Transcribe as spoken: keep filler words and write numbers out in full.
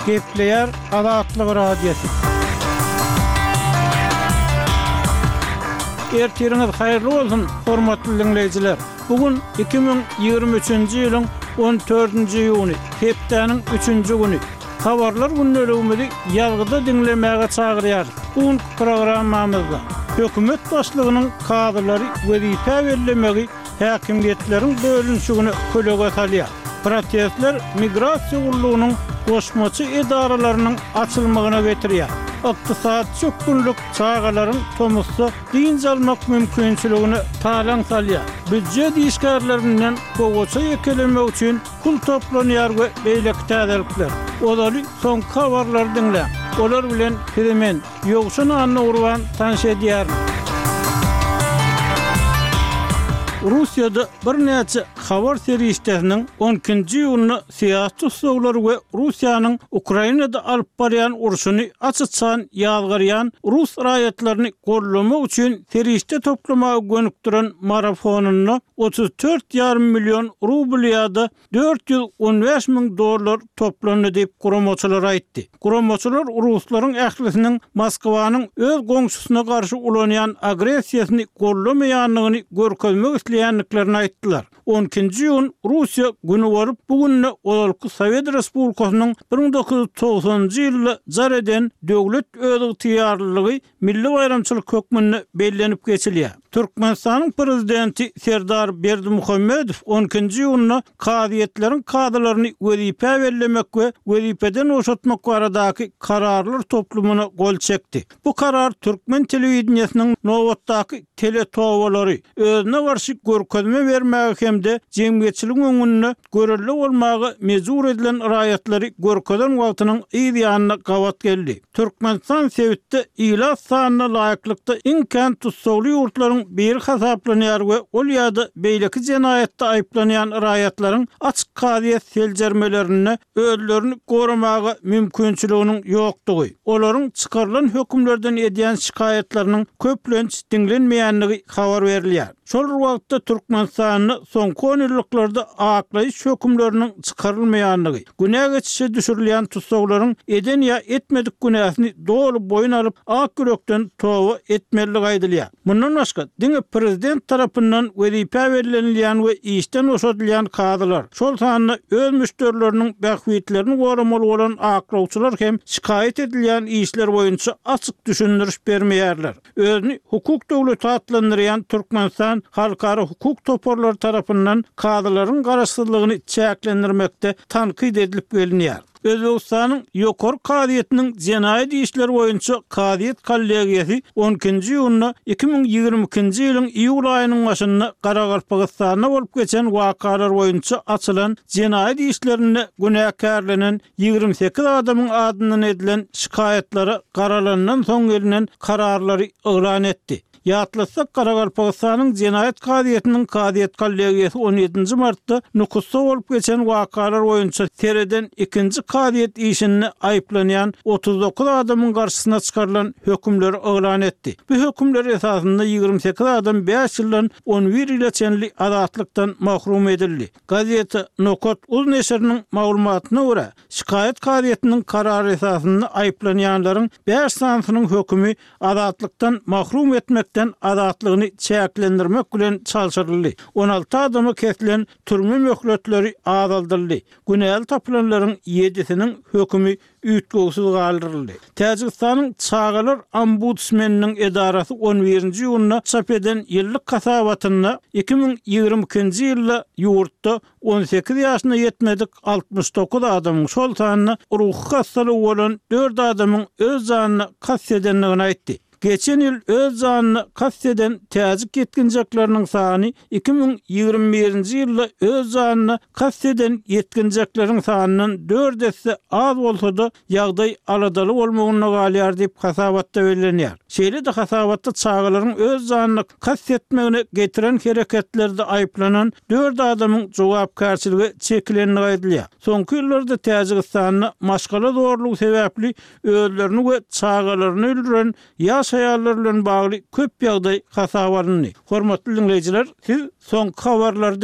Gepleýär Azatlyk Radiosy. Ertiriňiz haýyrly bolsun, hormatly diňleýjiler! Bu gün iki müň ýigrimi üçünji ýylyň on dördünji iýuny, hepdäniň üçünji güni. Habarlar gündeligimizi ýazgyda diňlemäge çagyrýarys. Bu günki programmamyzda hökümet başlygynyň kazylary wezipä bellemegi häkimiýetleriň bölünişigine kölege salýar. Protestler migrasiýa gullugynyň goşmaça edaralarynyň açylmagyna getirýär. Ykdysady çökgünlik çagalaryň tomusda dynç almak mümkinçiligine talaň salýar. Býujet işgärlerinden gowaça ýekelemek üçin pul toplanýar we beýleki täzelikler. Ozaly soňky habarlary diňläň. Olar bilen sizi men, Ýowşan Annagurban tanyş edýärin. Russiýada birnäçe habar serişdesiniň on ikinji iýunda syýasy tussaglary we Russiýanyň Ukrainada alyp barýan urşuny aç-açan ýazgarýan rus raýatlaryny gollamak üçin serişde toplamaga gönükdiren marafonynda otuz dört ýarym million rubl ýa-da dört ýüz on bäş müň dollar toplandy diýip guramaçylar aýtdy. Guramaçylar ruslaryň ählisiniň Moskwanyň öz goňşusyna garşy ulanýan agressiýasyny gollamaýandygyny görkezmek isleýändiklerini aýtdylar. On ikinji iýun Russiýa güni bolup, bu günde ozalky Sowet Respublikasynyň bir müň dokuz ýüz togsanynjy ýylda jar eden döwlet özygtyýarlylygy milli baýramçylyk hökmünde bellenip geçilýär. Türkmenistanyň prezidenti Serdar Berdimuhamedow on ikinji iýunda kazyýetleriň kazylaryny wezipä bellemek we wezipeden boşatmak baradaky kararlar toplumyna gol çekdi. Bu karar türkmen telewideniýesiniň nobatdaky teletobalary özüne garşy görkezme bermäge hem-de jemgyýetçiligiň öňünde görelde bolmaga mejbur edilen raýatlary görkezen wagtynyň yz ýanyna gabat geldi. Türkmenistan sebitde ilat sanyna laýyklykda iň kän tussagly ýurtlaryň biri hasaplanýar we ol ýa-da beýleki jenaýatda aýyplanýan raýatlaryň açyk kazyýet seljermelerinde özlerini goramaga mümkinçiliginiň ýokdugy, olaryň çykarylan hökümlerden edýän şikaýatlarynyň köplenç diňlenmeýändigi habar berilýär. Şol bir wagtda Türkmenistanda soňky on ýyllyklarda aklaýyş hökümleriniň çykarylmaýandygy, günä geçişe düşürilýän tussaglaryň eden ýa etmedik günäsini doly boýun alyp, ak ýürekden toba etmelidigi aýdylýar. Mundan başga, diňe prezident tarapyndan wezipä bellenilýän we işden boşadylýan kazylar, şol sanda öz müşderileriniň bähbitlerini goramaly bolan aklawçylar hem şikaýat edilýän işler boýunça açyk düşündiriş bermeýärler. Özüni hukuk döwleti atlandyrýan Türkmenistan halkara hukuk toparlary tarapyndan kazylaryň garaşsyzlygyny çäklendirmekde tankyt edilip gelinýär. Özbegistanyň ýokary kazyýetiniň jenaýat işleri boýunça kazyýet kollegiýasy on ikinji iýunda iki müň ýigrimi ikinji ýylyň iýul aýynyň başynda Garagalpagystanda bolup geçen wakalar boýunça açylan jenaýat işlerinde günäkärlenen ýigrimi sekiz adamyň adyndan edilen şikaýatlara garalandan soň gelinen kararlary yglan etdi. Ýatlatsak, Garagalpagystanyň jenaýat kazyýetiniň kazyýet kollegiýasy on ýedinji martda Nukusda bolup geçen wakalar boýunça sereden ikinji kazyýet işinde aýyplanýan otuz dokuz adamyň garşysyna çykarylan hökümleri yglan etdi. Bu hökümler esasynda ýigrimi sekiz adam bäş ýyldan on bir ýyla çenli azatlykdan mahrum edildi. Gazeta Nokat uz neşiriniň maglumatyna görä, şikaýat kazyýetiniň karary esasynda aýyplanýanlaryň bäş sanysynyň hökümi azatlykdan mahrum etmekden azatlygyny çäklendirmek bilen çalşyryldy. On alty adama kesilen türme möhletleri azaldyldy. Günäli tapylanlaryň ýedisiniň hökümi üýtgewsiz galdyryldy. Täjigistanyň çagalar ombudsmeniniň edarasy on birinji iýunda çap eden ýyllyk hasabatynda iki müň ýigrimi ikinji ýylda ýurtda on sekiz ýaşyna ýetmedik altmyş dokuz adamyň, şol sanda ruhy hastalygy bolan dört adamyň öz janyna kast edendigini aýtdy. Geçen ýyl öz janyna kast eden täjik ýetginjekleriniň sany iki müň ýigrimi birinji ýylda öz janyna kast eden ýetginjekleriň sanyndan dört esse az bolsa-da, ýagdaý aladaly bolmagynda galýar diýip hasabatda bellenýär. Şeýle-de hasabatda çagalaryň öz janyna kast etmegine getiren hereketlerde aýyplanan dört adamyň jogapkärçilige çekilendigi aýdylýar. Soňky ýyllarda Täjigistanda maşgala zorlugy sebäpli özlerini we çagalaryny öldüren ýaş aýallar bilen bagly köp ýagdaý hasaba alyndy. Hormatly diňleýjiler, siz soňky habarlary